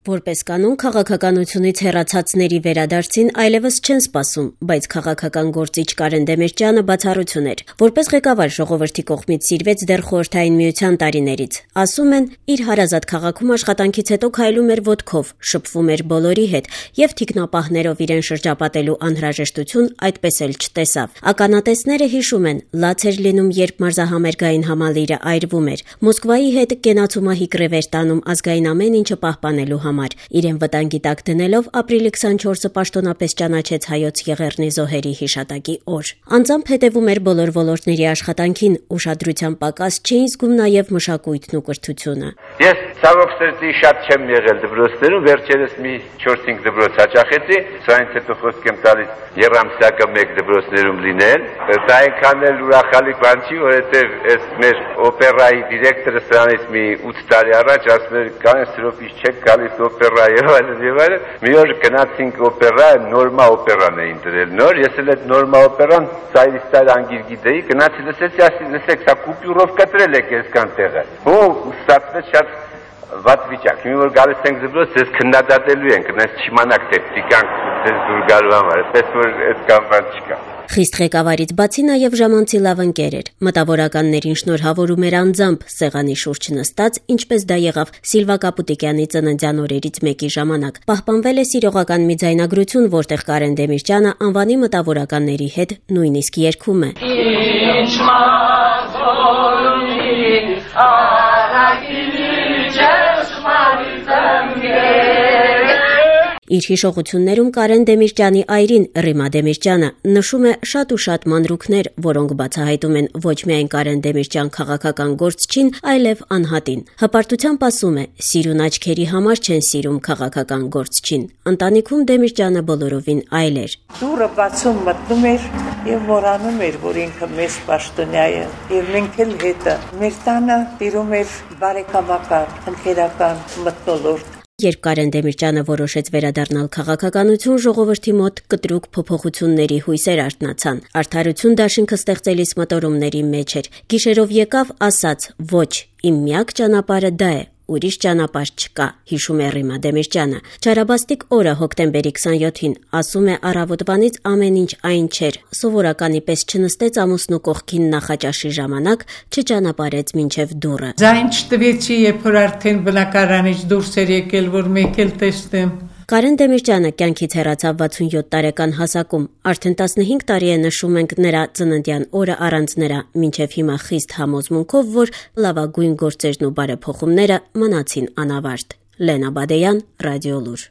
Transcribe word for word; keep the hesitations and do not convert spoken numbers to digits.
Որպես կանոն, քաղաքականությունից հեռացածների վերադարձին այլևս չեն սպասում, բայց քաղաքական գործիչ Կարեն Դեմիրճյանը բացառություն էր։ Որպես ղեկավար ժողովրդի կողմից սիրվեց դեռ Խորհրդային Միության տարիներից։ Ասում են, իր հարազատ քաղաքում աշխատանքից հետո քայլում էր ոտքով, շփվում էր բոլորի հետ եւ թիկնապահներով իրեն շրջապատելու անհրաժեշտություն այդպես էլ չտեսավ։ Ականատեսները հիշում են, լաց էր լինում, երբ մարզահամերգային համալիրը այրվում էր։ Մոսկվայի հետ կենացումահիկ ռևեր տանում ազգային ամեն ինչը պահպանելու համար։ Իրեն վտանգի տակ դնելով ապրիլի քսանչորսը պաշտոնապես ճանաչեց Հայոց Եղեռնի զոհերի հիշատակի օր։ Անձամբ հետևում էր բոլոր ոլորտների աշխատանքին, ուշադրության պակաս չէին զգում նաև մշակույթն ու կրթությունը։ Ես ցավոք սրտի շատ չեմ եղել դպրոցներում, վերջերս մի չորս-հինգ դպրոց հաճախեցի, սրանից հետո խոսք եմ տալիս երամսյակը մեկ դպրոցներում լինել։ Դա այնքան էլ ուրախալի բան չի, որովհետև այս մեր օպերայի դիրեկտորը սրանից մի ութ տարի առաջ ասում էր, «Կանես սրոպից չեք գալիս օպերա եւ այլն եւ այլն»։ Մի օր գնացինք օպերա, նորմա օպերանն էին դրել նոր, ես էլ այդ նորմա օպերան ծայրից ծայր անգիր գիտեի, գնացի լսեցի, ասի, լսեք, սա կուպյուրով կտրել եք այսքան տեղը։ Ու ստացվեց շատ վատ վիճակ։ Մի որ գալիս ենք դպրոց, ես քննադատելու ենք, այնպես չիմանաք թե տիկանք դες դուր գալու համար, այսպես որ այդ կան բան չկա։ Խիստ ղեկավարից բացի նաև ժամանցի լավ ընկեր էր։ Մտավորականներին շնորհավորում էր անձամբ սեղանի շուրջ նստած, ինչպես դա եղավ Սիլվա Կապուտիկյանի ծննդյան օրերից մեկի ժամանակ։ Պահպանվել է սիրողական մի ձայնագրություն, որտեղ Կարեն Դեմիրճյանը անվանի մտավորականների հետ նույնիսկ երգում է։ Իր հիշողություններում Կարեն Դեմիրճյանի այրին Ռիմա Դեմիրճյանը նշում է շատ ու շատ մանրուքներ, որոնք բացահայտում են ոչ միայն Կարեն Դեմիրճյան քաղաքական գործչին, այլև անհատին։ Հպարտությամբ ասում է, սիրուն աչքերի համար չեն սիրում քաղաքական գործչին։ Ընտանիքում Դեմիրճյանը բոլորովին այլ էր։ Դուրը բացում մտնում էր եւ մոռանում էր, որ ինքը մեծ պաշտոնյա է, եւ մենք էլ հետը մեր տանը տիրում էր բարեկամական, ընկերական մթնոլորտ։ Երբ Կարեն Դեմիրճյանը որոշեց վերադառնալ քաղաքականություն, ժողովրդի մոտ կտրուկ փոփոխությունների հույսեր արթնացան։ Արդարություն դաշինքը ստեղծելիս մտորումների մեջ էր։ Գիշերով եկավ, ասաց. «Ոչ, իմ միակ ճանապարհը դա է, ուրիշ ճանապարհ չկա», հիշում է Ռիմա Դեմիրճյանը։ Չարաբաստիկ օրը հոկտեմբերի քսանյոթին, ասում է, առավոտվանից ամեն ինչ այն չէր։ Սովորականի պես չնստեց ամուսնու կողքին նախաճաշի ժամանակ, չճանապարհեց մինչև դուռը։ Ձայն չտվեցի, երբ որ արդեն բնակարանից դուրս էր եկել, որ մեկ էլ տեսնեմ։ Կարեն Դեմիրճյանը կյանքից հեռացավ վաթսունյոթ տարեկան հասակում։ Արդեն տասնհինգ տարի է նշում ենք նրա ծննդյան օրը առանց նրա, մինչև հիմա խիստ համոզմունքով, որ լավագույն գործերն ու բարեփոխումները մնացին անավարտ։ Լենա Բադեյան, Ռադիոլուր։